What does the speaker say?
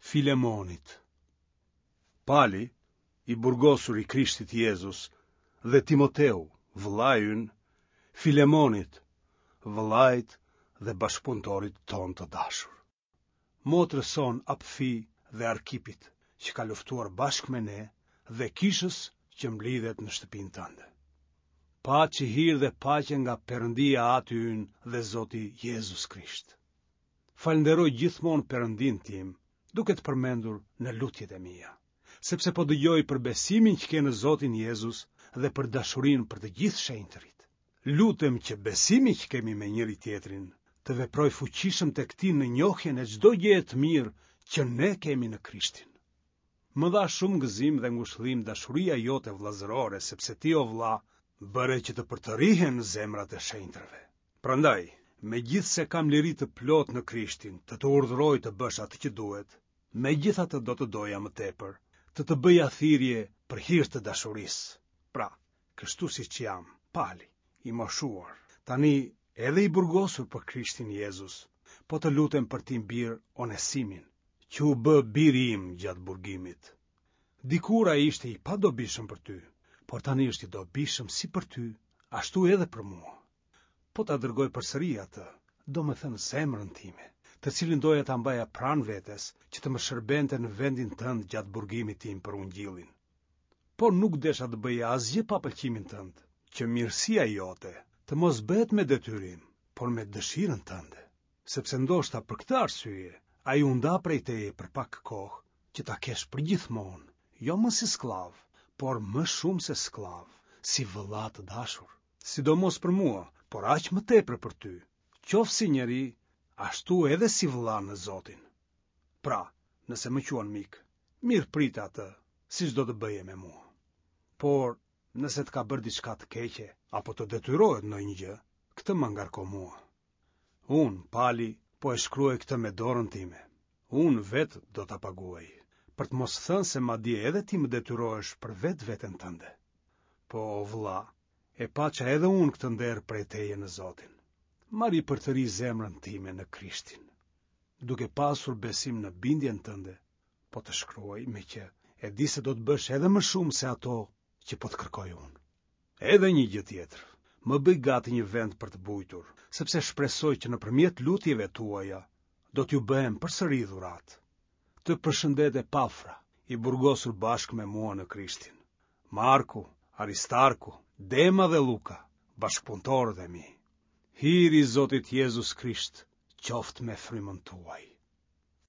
Filemonit. Pali, i burgosur i Krishtit Jezus, dhe Timoteu, vëllai ynë, Filemonit, vëllait dhe bashkëpunëtorit tonë të dashur. Motrës sonë Apfi dhe Arkipit, që ka luftuar bashkë me ne dhe kishës që mblidhet në shtëpinë tënde. Paçi hir dhe paqe nga Perëndia Ati ynë dhe Zoti Jezus Krisht. Falënderoj gjithmonë Perëndinë tim, duke të përmendur në lutjet e mia, sepse po dëgjoj për besimin që ke në Zotin Jezus dhe për dashurinë për të gjithë shenjtërit. Lutem që besimi që kemi me njëri-tjetrin të veprojë fuqishëm tek ti në njohjen e çdo gjëje të mirë që ne kemi në Krishtin. Më dha shumë gëzim dhe ngushëllim dashuria jote vëllazërore, sepse ti o vëlla bëre që të përtërihen zemrat e shenjtërve. Prandaj, megjithëse kam liri të plotë në Krishtin, të të urdhëroj të bësh atë që duhet, megjithatë do të doja më tepër të të bëja thirrje për hir të dashurisë. Pra, kështu siç jam, Pali, i moshuar, tani edhe i burgosur për Krishtin Jezus, po të lutem për tim bir Onesimin, që u bë biri im gjatë burgimit. Dikur ai ishte i padobishëm për ty, por tani është i dobishëm si për ty, ashtu edhe për mua. Po ta dërgoj përsëri atë, domethënë zemrën time, të cilin doja ta mbaja pranë vetes, që të më shërbente në vendin tënd gjatë burgimit tim për ungjillin. Por nuk desha të bëja asgjë pa pëlqimin tënd, që mirësia jote të mos bëhet me detyrim, por me dëshirën tënde, sepse ndoshta për këtë arsye ai u nda prej teje për pak kohë, që ta kesh përgjithmonë, jo më si skllav, por më shumë se skllav, si vëlla të dashur. Sidomos për mua, por aq më tepër për ty, qoftë si njeri, ashtu edhe si vëlla në Zotin. Pra, nëse më quan mik, mirëprite atë, siç do të bëje me mua. Por, nëse të ka bërë diçka të keqe, apo të detyrohet ndonjë gjë, këtë ma ngarko mua. Unë, Pali, po e shkruaj këtë me dorën time. Unë vetë do ta paguaj, për të mos thënë se madje edhe ti më detyrohesh për vetveten tënde. Po, o vëlla, e paça edhe unë këtë nder prej teje në Zotin. Ma ripërtëri zemrën time në Krishtin. Duke pasur besim në bindjen tënde, po të shkruaj meqë e di se do të bësh edhe më shumë se ato që po të kërkoj unë. Edhe një gjë tjetër, më bëj gati një vend për të bujtur, sepse shpresoj që nëpërmjet lutjeve tuaja do t'ju bëhem përsëri dhuratë. Të përshëndet Epafra, i burgosur bashkë me mua në Krishtin. Marku, Aristarku, Dema dhe Luka, bashkëpunëtorët e mi. Hiri i Zotit Jezus Krisht qoftë me frymën tuaj.